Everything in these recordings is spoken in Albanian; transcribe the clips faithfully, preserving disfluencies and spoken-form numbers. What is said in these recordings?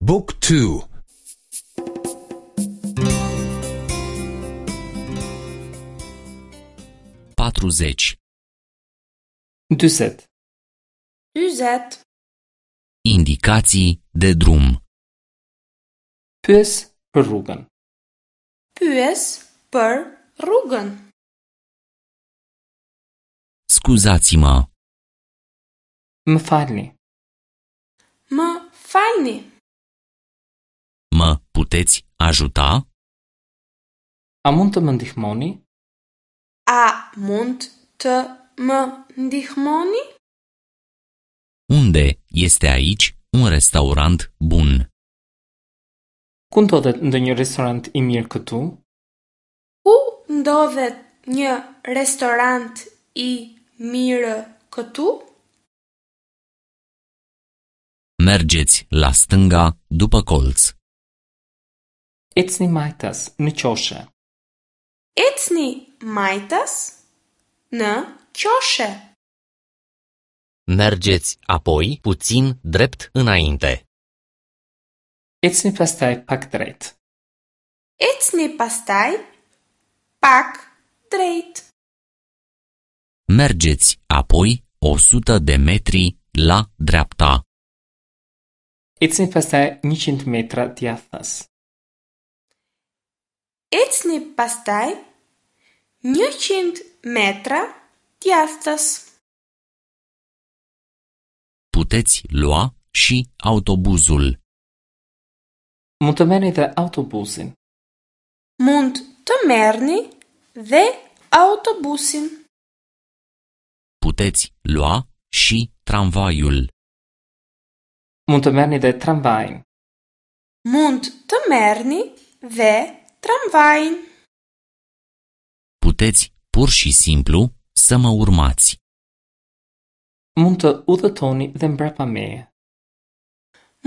Book two. Patruzeci. Dyzet. Dyzet. Indicații de drum. Pyes për rrugën. Pyes për rrugën. Scuzați-mă. Më falni. Më falni. Mă puteți ajuta? A mund të më ndihmoni? A mund të më ndihmoni? Unde este aici un restaurant bun? Ku ndodhet ndonjë restorant i mirë këtu? Ku ndodhet një restorant i mirë këtu? Mergeți la stânga după colț. Ecni majtas në qoshe. Ecni majtas në qoshe. Mergeți apoi puțin drept înainte. Ecni pastaj pak drejt. Ecni pastaj pak drejt. Mergeți apoi o sută de metri la dreapta. Ecni pastaj njëqind metra djathtas. Ecni pastaj njëqind metra djathtas. Puteți lua și autobuzul. Mund të merrni dhe autobusin. Mund të merrni dhe autobusin. Puteți lua și tramvaiul. Mund të merrni dhe tramvajin. Mund të merrni dhe tramvajin. Puteți pur și simplu să mă urmați. Mund të udhëtoni dhe mbrapa meje.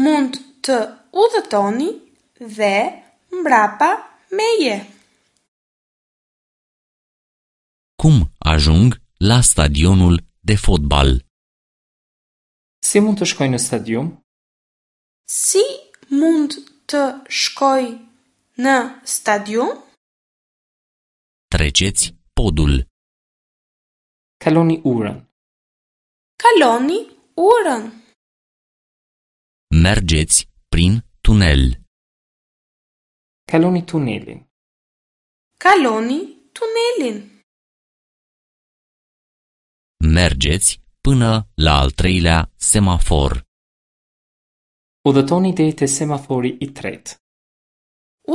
Mund të udhëtoni dhe mbrapa meje. Cum ajung la stadionul de fotbal? Si mund të shkoj në stadium? Si mund të shkoj në stadium? Treceți podul. Kaloni urën. Kaloni urën. Mergeți prin tunel. Kaloni tunelin. Kaloni tunelin. Mergeți până la al treilea semafor. Udhëtoni deri te semafori i tretë.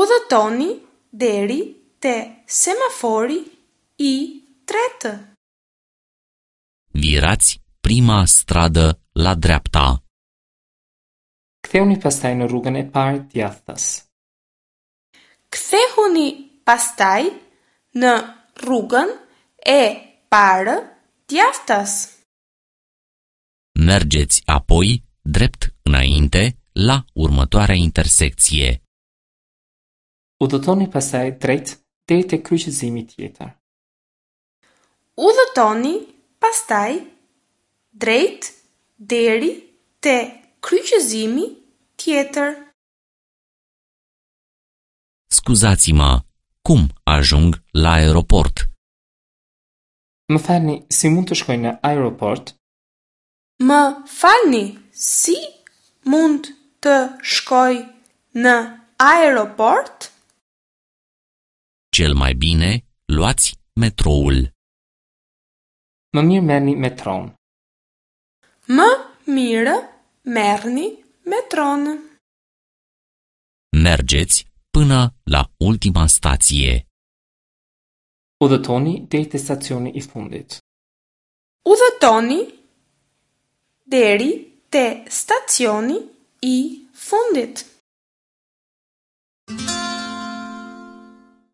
Udhëtoni deri te semafori i tretë. Virați prima stradă la dreapta. Kthehuni pastaj në rrugën e parë djathtas. Kthehuni pastaj në rrugën e parë djathtas. Mergeți apoi drept înainte la următoarea intersecție. Udhëtoni pastaj drejt deri te kryqëzimi tjetër. Udhëtoni pastaj drejt deri te kryqëzimi tjetër. Scuzați-mă, cum ajung la aeroport? Më falni, si mund të shkoj në aeroport? Më falni, si mund të shkoj në aeroport? Cel mai bine, luați metroul. Më mirë merrni metron. Më mirë merrni metron. Mergeți până la ultima stație. Udhëtoni deri te stacioni i fundit. Udhëtoni deri te stacioni i fundit.